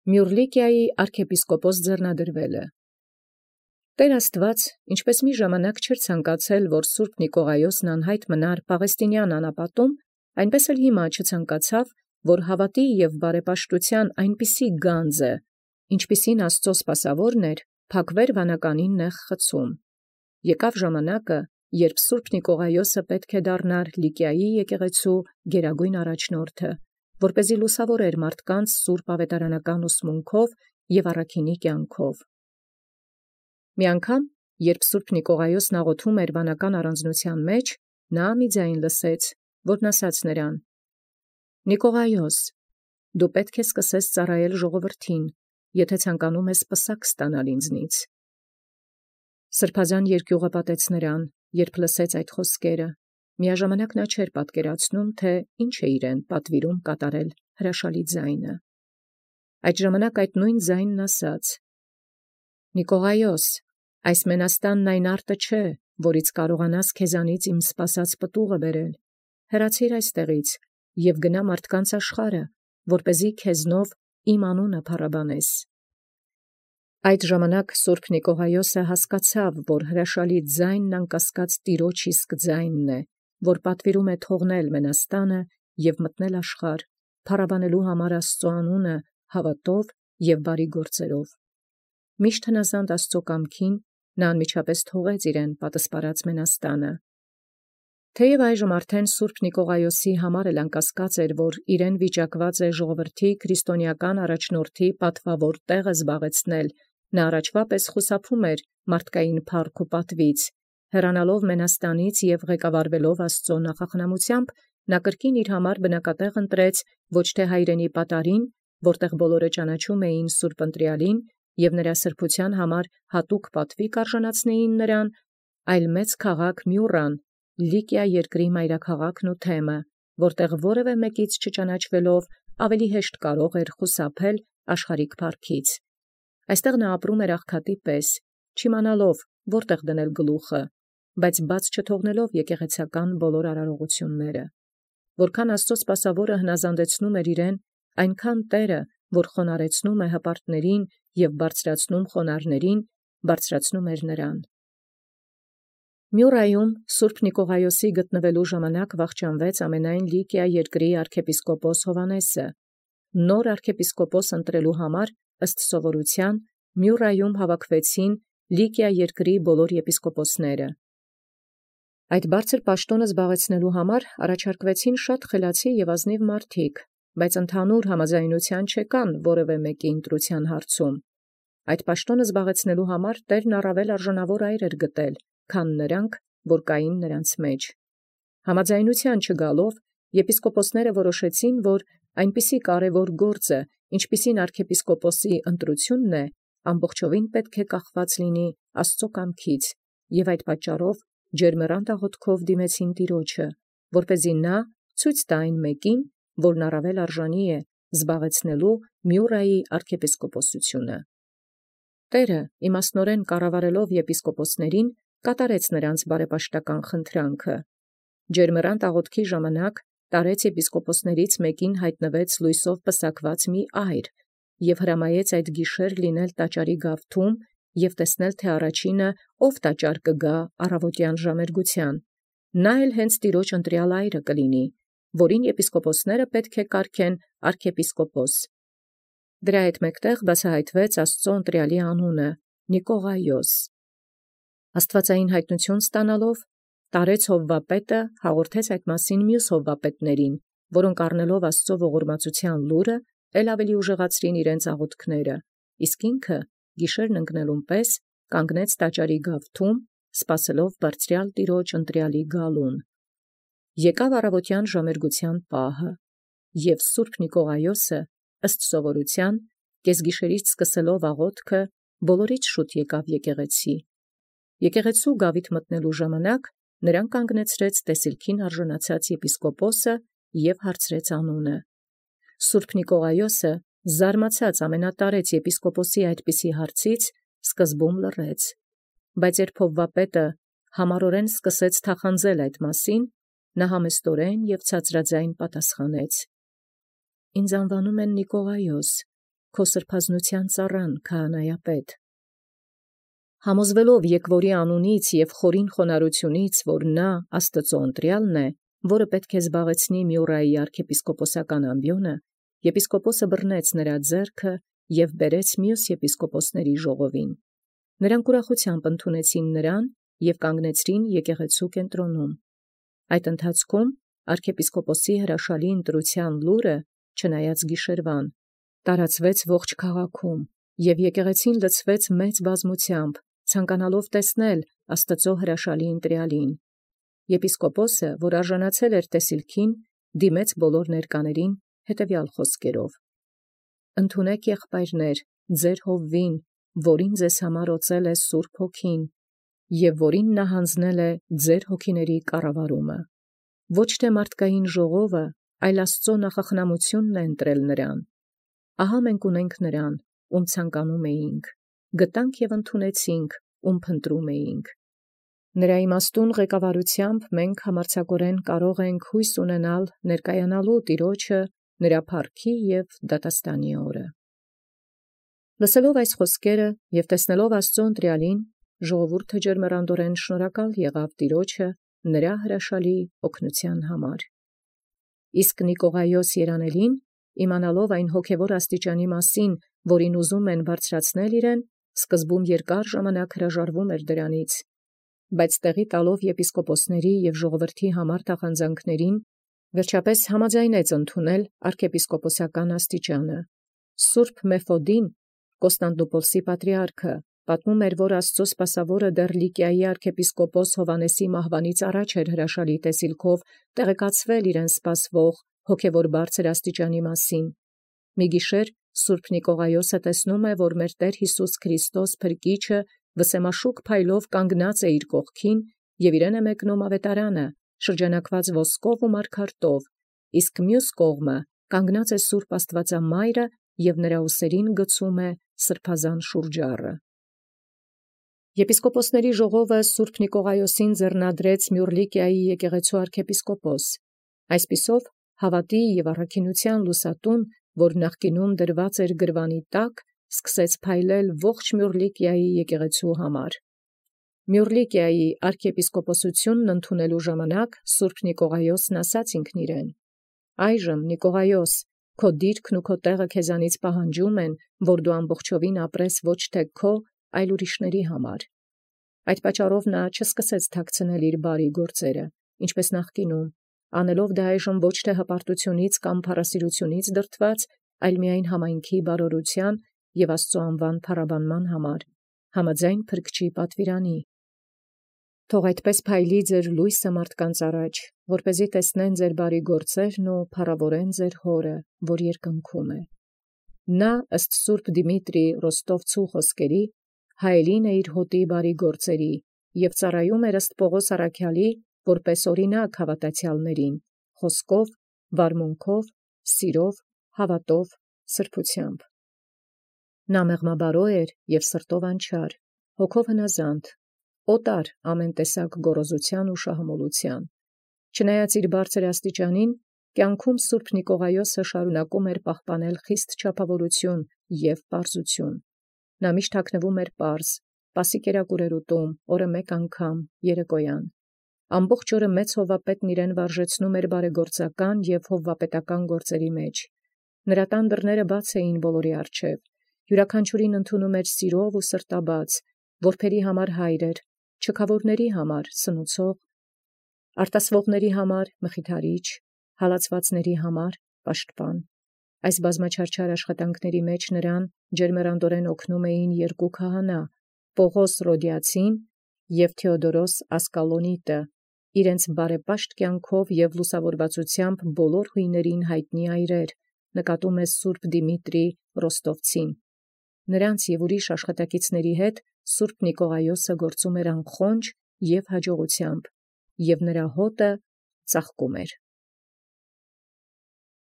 Մյուռլիկիայի arczepiskopos ձեռնադրվելը։ Տեր Աստուած, ինչպես մի ժամանակ չէր ցանկացել, որ Սուրբ Նիկողայոսն անհայտ մնար Պաղեստինյան անապատում, այնպես էլ հիմա չցանկացավ, որ հավատի և բարեպաշտութեան այնպիսի գանձը, ինչպիսին Աստուծոյ սպասաւորն էր, փակվեր վանականին նեղ խցում։ Եկավ ժամանակը, երբ Սուրբ Նիկողայոսը պետք է դառնար Լիկիայի եկեղեցու գերագույն առաջնորդը, որպեսզի լուսավորեր մարդկանց սուրբ ավետարանական ուսմունքով և առաքինի կյանքով։ Մի անգամ, երբ Սուրբ Նիկողայոսն աղոթում էր վանական առանձնութեան մեջ, նա մի ձայն լսեց, որն ասաց նրան. «Նիկողայոս, դու պետք է սկսես ծառայել ժողովրդին, եթե ցանկանում ես պսակ ստանալ ինձնից»։ Սրբազան երկյուղը պատեց նրան, երբ լսեց այդ խոսքերը։ Միաժամանակ նա չէր պատկերացնում, թե ինչ է իրեն պատվիրում կատարել հրաշալի ձայնը։ Այդ ժամանակ այդ նույն ձայնն ասաց. «Նիկողայոս, այս մենաստանն այն արտը չէ, որից կարողանաս քեզանից իմ սպասած պտուղը բերել. հեռացիր այստեղից և գնա մարդկանց աշխարհը, որպեսզի քեզնով իմ անունը փառաբանես»։ Այդ ժամանակ Սուրբ Նիկողայոսը հասկացավ, որ հրաշալի ձայնն անկասկած Տիրոջ իսկ ձայնն է, որ պատվիրում է թողնել մենաստանը և մտնել աշխարհ, փառաբանելու համար Աստծու անունը հավատով և բարի գործերով։ Միշտ հնազանդ Աստծու կամքին, նա անմիջապես թողեց իրեն պատսպարած մենաստանը։ Թեև այժմ արդեն Սուրբ Նիկողայոսի համար էլ անկասկած էր, որ իրեն վիճակված է ժողովրդի քրիստոնեական առաջնորդի պատվավոր տեղը զբաղեցնել, նա առաջվա պես խուսափում էր մարդկային փառք ու պատվից, հեռանալով մենաստանից և ղեկավարվելով Աստծու նախախնամությամբ, նա կրկին իր համար բնակատեղ ընտրեց ոչ թե հայրենի պատարին, որտեղ բոլորը ճանաչում էին Սուրբ Ընտրյալին և նրա սրբության համար հատուկ պատվի կարժանացնեին նրան, այլ մեծ քաղաք Մյուռան, Լիկիա երկրի մայրաքաղաքն ու թեմը, որտեղ որևէ մեկից չճանաչվելով ավելի հեշտ կարող էր խուսափել աշխարհիկ փառքից։ Այստեղ նա ապրում էր աղքատի պես, չիմանալով որտեղ դնել գլուխը, բայց բաց չթողնելով եկեղեցական բոլոր արարողությունները։ Որքան Աստծո սպասավորը հնազանդեցնում էր իրեն, այնքան Տերը, որ խոնարհեցնում է հպարտներին և բարձրացնում խոնարհներին, բարձրացնում էր նրան։ Մյուռայում Սուրբ Նիկողայոսի գտնվելու ժամանակ վախճանվեց ամենայն Լիկիա երկրի arczepiskopos Հովհաննեսը։ Նոր arczepiskopos ընտրելու համար ըստ սովորութեան Մյուռայում հավաքվեցին Լիկիա երկրի բոլոր եպիսկոպոսները։ Այդ բարձր պաշտոնը զբաղեցնելու համար առաջարկվեցին շատ խելացի և ազնիվ մարդիկ, բայց ընդհանուր համաձայնության չեկան որևէ մեկի ընտրության հարցում։ Այդ պաշտոնը զբաղեցնելու համար Տերն առավել արժանավոր այր էր գտել, քան նրանք, որ կային նրանց մեջ։ Համաձայնության չգալով, եպիսկոպոսները որոշեցին, որ այնպիսի կարևոր գործը, ինչպիսին arczepiskopos-ի ընտրությունն է, ամբողջովին պետք է կախված լինի Աստծո կամքից, և այդ պատճառով ջերմեռանդ աղոթքով դիմեցին Տիրոջը, որպեսզի նա ցույց տա այն մեկին, որն առավել արժանի է զբաղեցնելու Մյուռայի arczepiskopos-ությունը։ Տերը, իմաստնորեն կառավարելով եպիսկոպոսներին, կատարեց նրանց բարեպաշտական խնդրանքը։ Ջերմեռանդ աղոթքի ժամանակ տարեց եպիսկոպոսներից մեկին հայտնվեց լույսով պսակված մի այր և հրամայեց այդ գիշեր լինել տաճարի գավթում և տեսնել, թե առաջինը ով տաճար կգա առավոտյան ժամերգութեան։ Նա էլ հենց Տիրոջ ընտրյալ այրը կլինի, որին եպիսկոպոսները պետք է կարգեն arczepiskopos։ Դրա հետ մեկտեղ բացահայտվեց Աստծո ընտրյալի անունը՝ Նիկողայոս։ Աստուածային հայտնություն ստանալով, տարեց հովվապետը հաղորդեց այդ մասին մյուս հովվապետներին, որոնք առնելով Աստծո ողորմածության լուրը, էլ ավելի ուժեղացրին իրենց աղոթքները, իսկ ինքը գիշերն ընկնելուն պես կանգնեց տաճարի գավթում, սպասելով բարձրյալ Տիրոջ ընտրյալի գալուն։ Եկավ առավոտյան ժամերգության պահը, և Սուրբ Նիկողայոսը, ըստ սովորութեան, կեսգիշերից սկսելով աղոթքը, բոլորից շուտ եկավ եկեղեցի։ Եկեղեցու գավիթ մտնելու ժամանակ նրան կանգնեցրեց տեսիլքին արժանացած եպիսկոպոսը և հարցրեց անունը։ Սուրբ Նիկողայոսը, զարմացած ամենատարեց եպիսկոպոսի այդպիսի հարցից, սկզբում լռեց, բայց երբ հովվապետը համառորեն սկսեց թախանձել այդ մասին, նա համեստորեն և ցածրաձայն պատասխանեց. «Ինձ անվանում են Նիկողայոս, քո սրբազնության ծառան քահանայապետ։ Համոզվելով եկվորի անունից և խորին խոնարհությունից, որ նա Աստծո ընտրյալն է, որը պետք է զբաղեցնի Մյուրայի arczepiskoposական ամբիոնը, եպիսկոպոսը բռնեց նրա ձեռքը և բերեց մյուս եպիսկոպոսների ժողովին։ Նրանք ուրախությամբ ընդունեցին նրան և կանգնեցրին եկեղեցու կենտրոնում։ Այդ ընթացքում arczepiskoposi հրաշալի ընտրության լուրը, չնայած գիշերվան, տարածվեց ողջ քաղաքում, և եկեղեցին լցվեց մեծ բազմությամբ, ցանկանալով տեսնել Աստծո հրաշալի ընտրյալին։ Եպիսկոպոսը, որ արժանացել էր տեսիլքին, դիմեց բոլոր ներկաներին հետևյալ խոսքերով. «Ընդունեք եղբայրներ, ձեր հովվին, որին ձեզ համար օծել է Սուրբ Հոգին, և որին նա հանձնել է ձեր հոգիների կառավարումը։ Ոչ թե մարդկային ժողովը, այլ Աստծո նախախնամությունն է ընտրել նրան։ Ահա մենք ունենք նրան, ում ցանկանում էինք, գտանք և ընդունեցինք, ում փնտրում էինք։ Նրա իմաստուն ղեկավարությամբ մենք համարձակորեն կարող ենք հույս ունենալ ներկայանալու Տիրոջը նրա փառքի և դատաստանի օրը»։ Լսելով այս խոսքերը և տեսնելով Աստծո ընտրյալին, ժողովուրդը ջերմեռանդորեն շնորհակալ եղավ Տիրոջը նրա հրաշալի օգնության համար։ Իսկ Նիկողայոս երանելին, իմանալով այն հոգևոր աստիճանի մասին, որին ուզում են բարձրացնել իրեն, սկզբում երկար ժամանակ հրաժարվում էր դրանից, բայց տեղի տալով եպիսկոպոսների և ժողովրդի համար թախանձանքներին, վերջապես համաձայնեց ընդունել arczepiskoposական աստիճանը։ Սուրբ Մեֆոդին, Կոստանդնուպոլսի պատրիարքը, պատմում էր, որ Աստծո սպասավորը դեռ Լիկիայի arczepiskopos Հովհաննեսի մահվանից առաջ էր հրաշալի տեսիլքով տեղեկացվել իրեն սպասվող հոգևոր բարձր աստիճանի մասին։ Մի գիշեր Սուրբ Նիկողայոսը տեսնում է, որ մեր Տեր Հիսուս Քրիստոս Փրկիչը վսեմաշուկ փայլով կանգնած է իր կողքին և իրեն է մեկնում ավետարանը, շրջանակված ոսկով ու մարգարտով, իսկ մյուս կողմը կանգնած է Սուրբ Աստվածամայրը և նրա ուսերին գցում է սրբազան շուրջառը։ Եպիսկոպոսների ժողովը Սուրբ Նիկողայոսին ձեռնադրեց Մյուռլիկիայի եկեղեցու arczepiskopos։ Այսպիսով, հավատի և առաքինության լուսատուն, որ նախկինում դրված էր գրվանի տակ, սկսեց փայլել ողջ Մյուռլիկիայի եկեղեցու համար։ Մյուռլիկիայի arczepiskoposությունն ընդունելու ժամանակ Սուրբ Նիկողայոսն ասաց ինքն իրեն. «Այժմ, Նիկողայոս, քո դիրքն ու քո տեղը քեզանից պահանջում են, որ դու ամբողջովին ապրես ոչ թե քո, այլ ուրիշների համար»։ Այդ պատճառով նա չսկսեց թաքցնել իր բարի գործերը, ինչպես նախկինում, անելով դա այժմ ոչ թե հպարտությունից կամ փառասիրությունից դրդված, այլ միայն համայնքի բարօրության և Աստծո անվան փառաբանման համար, համաձայն Փրկչի պատվիրանի։ Թող այդպես փայլի ձեր լույսը մարդկանց առաջ, որպեսզի տեսնեն ձեր բարի գործերն ու փառավորեն ձեր Հորը, որ երկնքում է։ Նա, ըստ Սուրբ Դիմիտրի Ռոստովցու խոսքերի, հայելին է իր հոտի բարի գործերի և ծառայում էր ըստ Պողոս առաքյալի, որպես օրինակ հավատացյալներին, խոսքով, վարմունքով, սիրով, հավատով, սրբությամբ։ Նա մեղմաբարո էր և սրտով անչար, հոգով հնազանդ, օտար ամեն տեսակ գոռոզության ու շահամոլության։ Չնայած իր բարձր աստիճանին, կյանքում Սուրբ Նիկողայոսը շարունակում էր պահպանել խիստ չափավորություն և պարզություն։ Նա միշտ հագնվում էր պարզ, պասի կերակուր էր ուտում, օրը մեկ անգամ, երեկոյան։ Ամբողջ օրը մեծ հովվապետն իրեն վարժեցնում էր բարեգործական և հովվապետական գործերի մեջ։ Նրա տան դռները բաց էին բոլորի առջև, յուրաքանչյուրին ընդունում էր սիրով ու սրտաբաց, որբերի համար հայր էր, չքավորների համար սնուցող, արտասվողների համար մխիթարիչ, հալածվածների համար պաշտպան։ Այս բազմաչարչար աշխատանքների մեջ նրան ջերմեռանդորեն օգնում էին երկու քահանա՝ Պողոս Ռոդիացին և Թեոդորոս Ասկալոնիտը, իրենց բարեպաշտ կյանքով և լուսավորվածությամբ բոլոր հույներին հայտնի այրեր, նկատում է Սուրբ Դիմիտրի Ռոստովցին։ Նրանց և ուրիշ աշխատակիցների հետ Սուրբ Նիկողայոսը գործում էր անխոնջ և հաջողությամբ, և նրա հոտը ծաղկում էր։